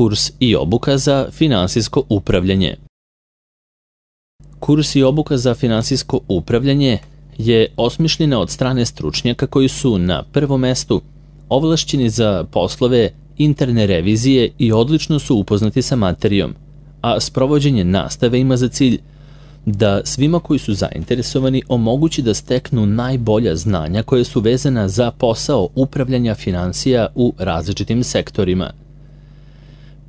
Kurs i obuka za finansijsko upravljanje. Kurs i obuka za finansijsko upravljanje je osmišljena od strane stručnjaka koji su na prvom mestu ovlašćeni za poslove interne revizije i odlično su upoznati sa materijom, a sprovođenje nastave ima za cilj da svima koji su zainteresovani omogući da steknu najbolja znanja koje su vezana za posao upravljanja finansija u različitim sektorima.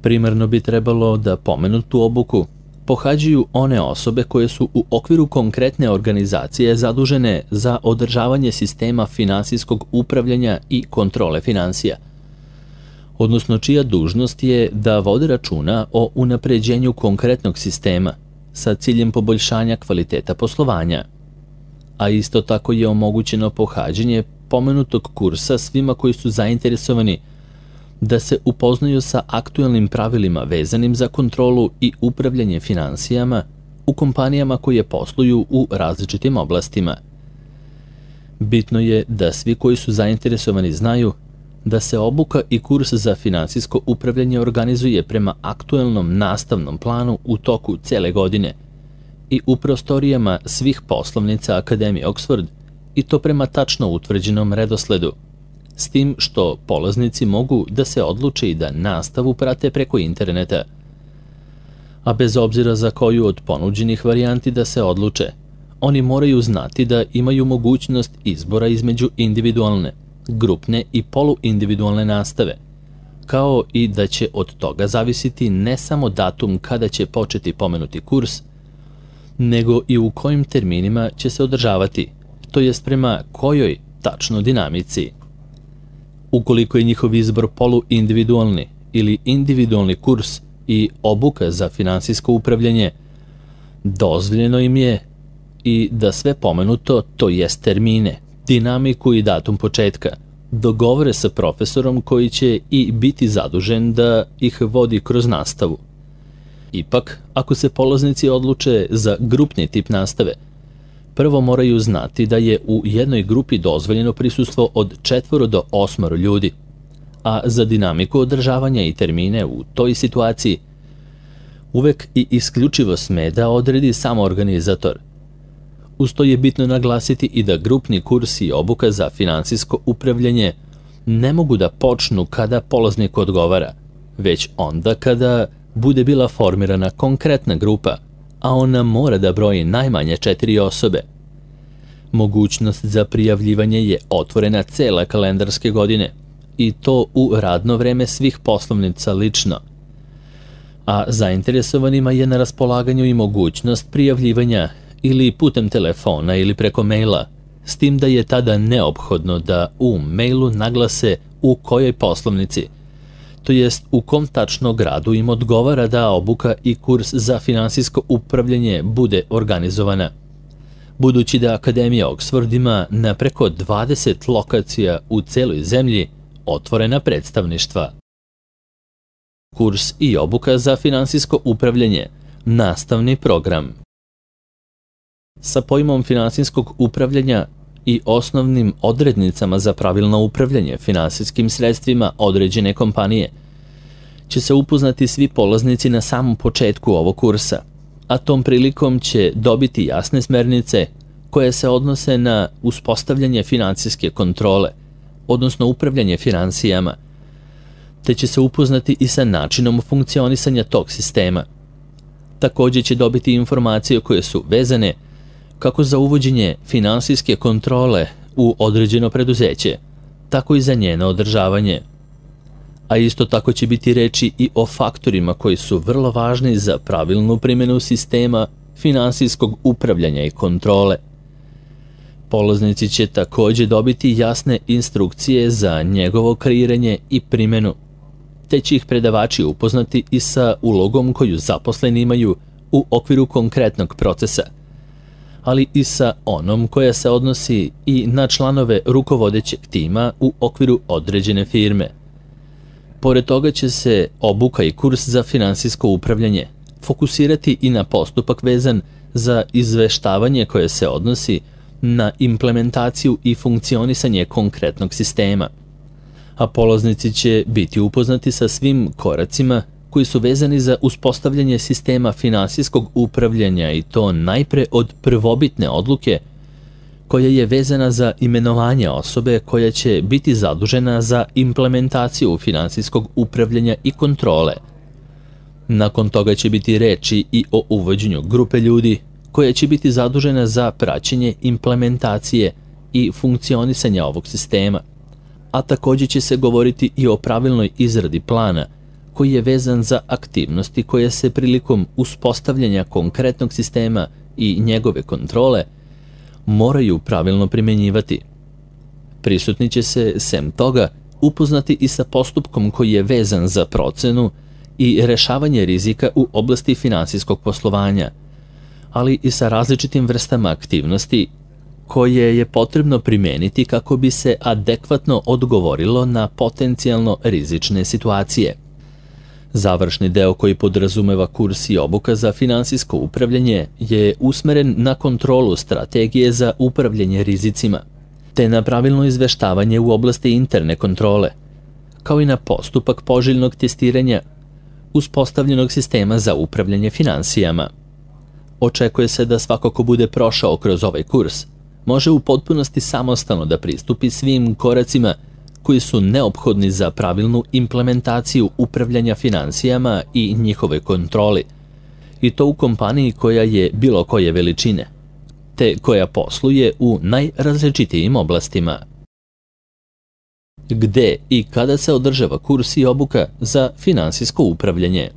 Primarno bi trebalo da pomenutu obuku pohađaju one osobe koje su u okviru konkretne organizacije zadužene za održavanje sistema finansijskog upravljanja i kontrole finansija, odnosno čija dužnost je da vode računa o unapređenju konkretnog sistema sa ciljem poboljšanja kvaliteta poslovanja. A isto tako je omogućeno pohađanje pomenutog kursa svima koji su zainteresovani da se upoznaju sa aktuelnim pravilima vezanim za kontrolu i upravljanje finansijama u kompanijama koje posluju u različitim oblastima. Bitno je da svi koji su zainteresovani znaju da se obuka i kurs za finansijsko upravljanje organizuje prema aktuelnom nastavnom planu u toku cele godine i u prostorijama svih poslovnica Akademije Oxford, i to prema tačno utvrđenom redosledu, s tim što polaznici mogu da se odluče i da nastavu prate preko interneta. A bez obzira za koju od ponuđenih varijanti da se odluče, oni moraju znati da imaju mogućnost izbora između individualne, grupne i poluindividualne nastave, kao i da će od toga zavisiti ne samo datum kada će početi pomenuti kurs, nego i u kojim terminima će se održavati, to jest prema kojoj tačno dinamici. Ukoliko je njihov izbor poluindividualni ili individualni kurs i obuka za finansijsko upravljanje, dozvoljeno im je i da sve pomenuto, to jest termine, dinamiku i datum početka, dogovore sa profesorom koji će i biti zadužen da ih vodi kroz nastavu. Ipak, ako se polaznici odluče za grupni tip nastave, prvo moraju znati da je u jednoj grupi dozvoljeno prisustvo od 4 do 8 ljudi, a za dinamiku održavanja i termine u toj situaciji uvek i isključivo sme da odredi samo organizator. Uz to je bitno naglasiti i da grupni kurs i obuka za finansijsko upravljanje ne mogu da počnu kada polaznik odgovara, već onda kada bude bila formirana konkretna grupa, a ona mora da broji najmanje 4 osobe. Mogućnost za prijavljivanje je otvorena cele kalendarske godine i to u radno vreme svih poslovnica lično. A zainteresovanima je na raspolaganju i mogućnost prijavljivanja ili putem telefona ili preko maila, s tim da je tada neophodno da u mailu naglase u kojoj poslovnici, to jest u kom tačno gradu im odgovara da obuka i kurs za finansijsko upravljanje bude organizovana. Budući da Akademija Oxford ima na preko 20 lokacija u celoj zemlji otvorena predstavništva. Kurs i obuka za finansijsko upravljanje, nastavni program. Sa pojmom finansijskog upravljanja i osnovnim odrednicama za pravilno upravljanje finansijskim sredstvima određene kompanije će se upoznati svi polaznici na samom početku ovog kursa, a tom prilikom će dobiti jasne smernice koje se odnose na uspostavljanje finansijske kontrole, odnosno upravljanje finansijama, te će se upoznati i sa načinom funkcionisanja tog sistema. Također će dobiti informacije koje su vezane kako za uvođenje finansijske kontrole u određeno preduzeće, tako i za njeno održavanje. A isto tako će biti reči i o faktorima koji su vrlo važni za pravilnu primjenu sistema finansijskog upravljanja i kontrole. Polaznici će također dobiti jasne instrukcije za njegovo kreiranje i primjenu, te će ih predavači upoznati i sa ulogom koju zaposleni imaju u okviru konkretnog procesa, ali i sa onom koja se odnosi i na članove rukovodećeg tima u okviru određene firme. Pored toga će se obuka i kurs za finansijsko upravljanje fokusirati i na postupak vezan za izveštavanje koje se odnosi na implementaciju i funkcionisanje konkretnog sistema, a polaznici će biti upoznati sa svim koracima koji su vezani za uspostavljanje sistema finansijskog upravljanja i to najpre od prvobitne odluke koja je vezana za imenovanje osobe koja će biti zadužena za implementaciju finansijskog upravljanja i kontrole. Nakon toga će biti reči i o uvođenju grupe ljudi koja će biti zadužena za praćenje implementacije i funkcionisanja ovog sistema, a također će se govoriti i o pravilnoj izradi plana koji je vezan za aktivnosti koje se prilikom uspostavljanja konkretnog sistema i njegove kontrole moraju pravilno primjenjivati. Prisutni će se, sem toga, upoznati i sa postupkom koji je vezan za procenu i rešavanje rizika u oblasti finansijskog poslovanja, ali i sa različitim vrstama aktivnosti koje je potrebno primeniti kako bi se adekvatno odgovorilo na potencijalno rizične situacije. Završni deo koji podrazumeva kurs i obuka za finansijsko upravljanje je usmeren na kontrolu strategije za upravljanje rizicima, te na pravilno izveštavanje u oblasti interne kontrole, kao i na postupak poželjnog testiranja uspostavljenog sistema za upravljanje finansijama. Očekuje se da svako ko bude prošao kroz ovaj kurs može u potpunosti samostalno da pristupi svim koracima koji su neophodni za pravilnu implementaciju upravljanja finansijama i njihove kontroli, i to u kompaniji koja je bilo koje veličine, te koja posluje u najrazličitijim oblastima. Gde i kada se održava kurs i obuka za finansijsko upravljanje?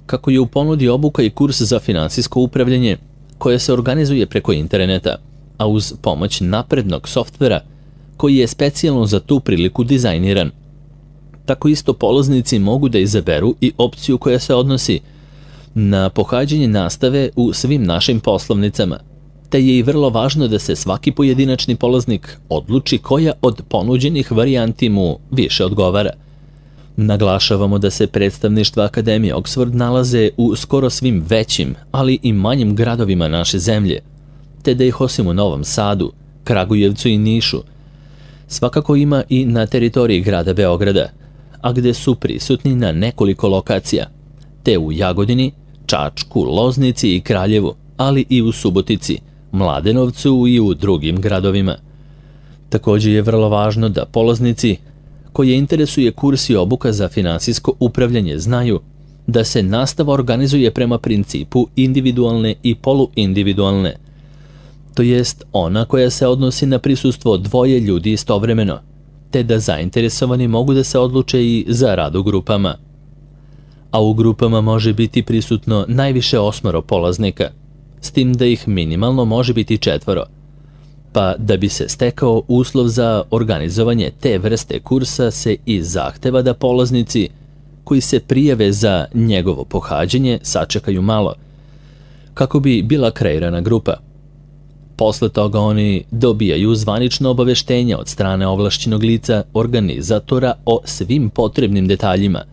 Kako je u ponudi obuka i kurs za finansijsko upravljanje koja se organizuje preko interneta, a uz pomoć naprednog softvera koji je specijalno za tu priliku dizajniran. Tako isto polaznici mogu da izaberu i opciju koja se odnosi na pohađanje nastave u svim našim poslovnicama, te je i vrlo važno da se svaki pojedinačni polaznik odluči koja od ponuđenih varijanti mu više odgovara. Naglašavamo da se predstavništva Akademije Oxford nalaze u skoro svim većim, ali i manjim gradovima naše zemlje, te da ih osim u Novom Sadu, Kragujevcu i Nišu, svakako ima i na teritoriji grada Beograda, a gde su prisutni na nekoliko lokacija, te u Jagodini, Čačku, Loznici i Kraljevu, ali i u Subotici, Mladenovcu i u drugim gradovima. Također je vrlo važno da polaznici koje interesuje kurs i obuka za finansijsko upravljanje znaju da se nastava organizuje prema principu individualne i poluindividualne, to jest ona koja se odnosi na prisustvo dvoje ljudi istovremeno, te da zainteresovani mogu da se odluče i za rad u grupama. A u grupama može biti prisutno najviše 8 polaznika, s tim da ih minimalno može biti 4, pa da bi se stekao uslov za organizovanje te vrste kursa se i zahteva da polaznici koji se prijave za njegovo pohađanje sačekaju malo, kako bi bila kreirana grupa. Posle toga oni dobijaju zvanično obaveštenje od strane ovlašćenog lica organizatora o svim potrebnim detaljima,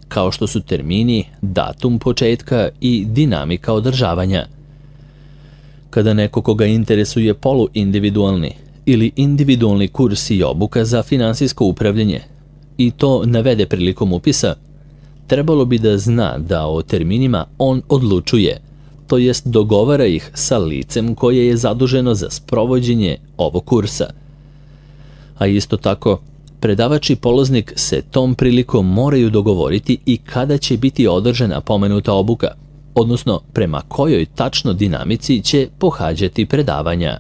kao što su termini, datum početka i dinamika održavanja. Kada neko koga interesuje poluindividualni ili individualni kurs i obuka za finansijsko upravljanje i to navede prilikom upisa, trebalo bi da zna da o terminima on odlučuje, to jest dogovara ih sa licem koje je zaduženo za sprovođenje ovog kursa. A isto tako, predavač i polaznik se tom prilikom moraju dogovoriti i kada će biti održana pomenuta obuka, odnosno prema kojoj tačno dinamici će pohađati predavanja.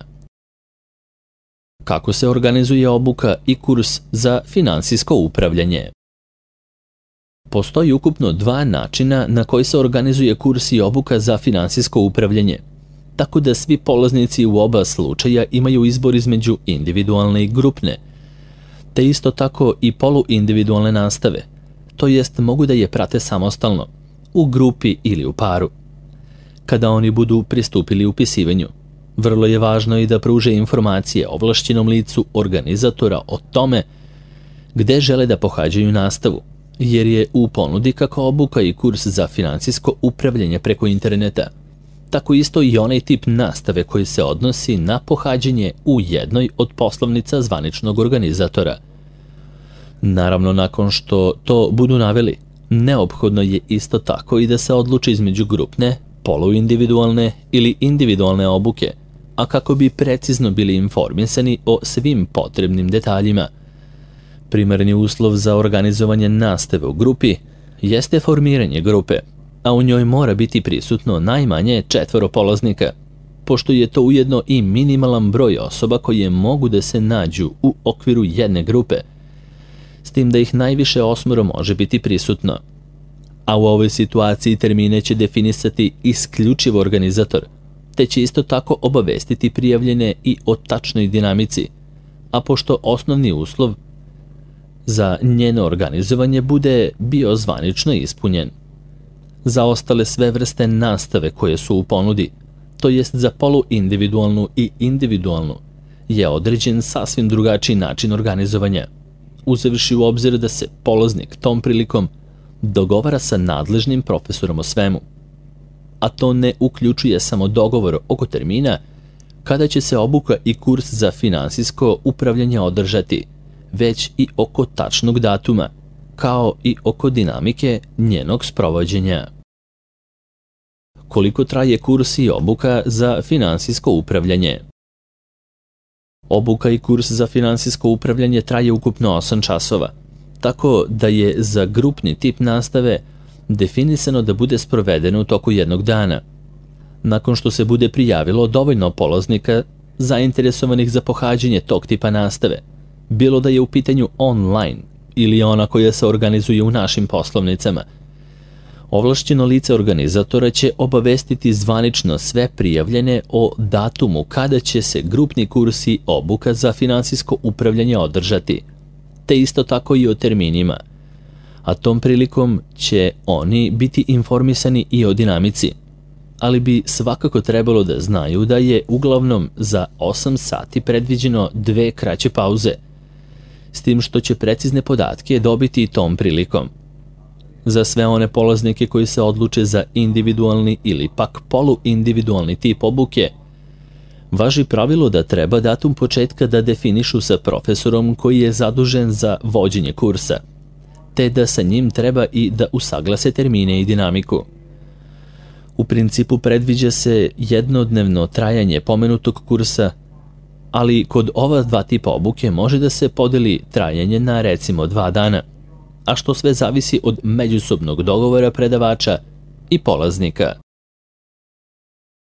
Kako se organizuje obuka i kurs za finansijsko upravljanje? Postoji ukupno 2 načina na koji se organizuje kurs i obuka za finansijsko upravljanje, tako da svi polaznici u oba slučaja imaju izbor između individualne i grupne, te isto tako i poluindividualne nastave, to jest mogu da je prate samostalno, u grupi ili u paru. Kada oni budu pristupili upisivanju, vrlo je važno i da pruže informacije ovlašćenom licu organizatora o tome gde žele da pohađaju nastavu, jer je u ponudi kako obuka i kurs za finansijsko upravljanje preko interneta, tako isto i onaj tip nastave koji se odnosi na pohađanje u jednoj od poslovnica zvaničnog organizatora. Naravno, nakon što to budu naveli, Neophodno je isto tako i da se odluči između grupne, poluindividualne ili individualne obuke, a kako bi precizno bili informisani o svim potrebnim detaljima. Primarni uslov za organizovanje nastave u grupi jeste formiranje grupe, a u njoj mora biti prisutno najmanje 4 polaznika, pošto je to ujedno i minimalan broj osoba koje mogu da se nađu u okviru jedne grupe, s tim da ih najviše 8 može biti prisutno. A u ovoj situaciji termine će definisati isključivo organizator, te će isto tako obavestiti prijavljene i o tačnoj dinamici, a pošto osnovni uslov za njeno organizovanje bude bio zvanično ispunjen. Za ostale sve vrste nastave koje su u ponudi, to jest za poluindividualnu i individualnu, je određen sasvim drugačiji način organizovanja, uzevši u obzir da se polaznik tom prilikom dogovara sa nadležnim profesorom o svemu. A to ne uključuje samo dogovor oko termina kada će se obuka i kurs za finansijsko upravljanje održati, već i oko tačnog datuma, kao i oko dinamike njenog sprovođenja. Koliko traje kurs i obuka za finansijsko upravljanje? Obuka i kurs za finansijsko upravljanje traje ukupno 8 časova, tako da je za grupni tip nastave definisano da bude sprovedeno u toku jednog dana. Nakon što se bude prijavilo dovoljno polaznika zainteresovanih za pohađanje tog tipa nastave, bilo da je u pitanju online ili ona koja se organizuje u našim poslovnicama, ovlašćeno lice organizatora će obavestiti zvanično sve prijavljene o datumu kada će se grupni kurs i obuka za finansijsko upravljanje održati, te isto tako i o terminima, a tom prilikom će oni biti informisani i o dinamici, ali bi svakako trebalo da znaju da je uglavnom za 8 sati predviđeno 2 kraće pauze, s tim što će precizne podatke dobiti i tom prilikom. Za sve one polaznike koji se odluče za individualni ili pak poluindividualni tip obuke, važi pravilo da treba datum početka da definišu sa profesorom koji je zadužen za vođenje kursa, te da sa njim treba i da usaglase termine i dinamiku. U principu predviđa se jednodnevno trajanje pomenutog kursa, ali kod ova 2 tipa obuke može da se podeli trajanje na recimo 2 dana, a što sve zavisi od međusobnog dogovora predavača i polaznika.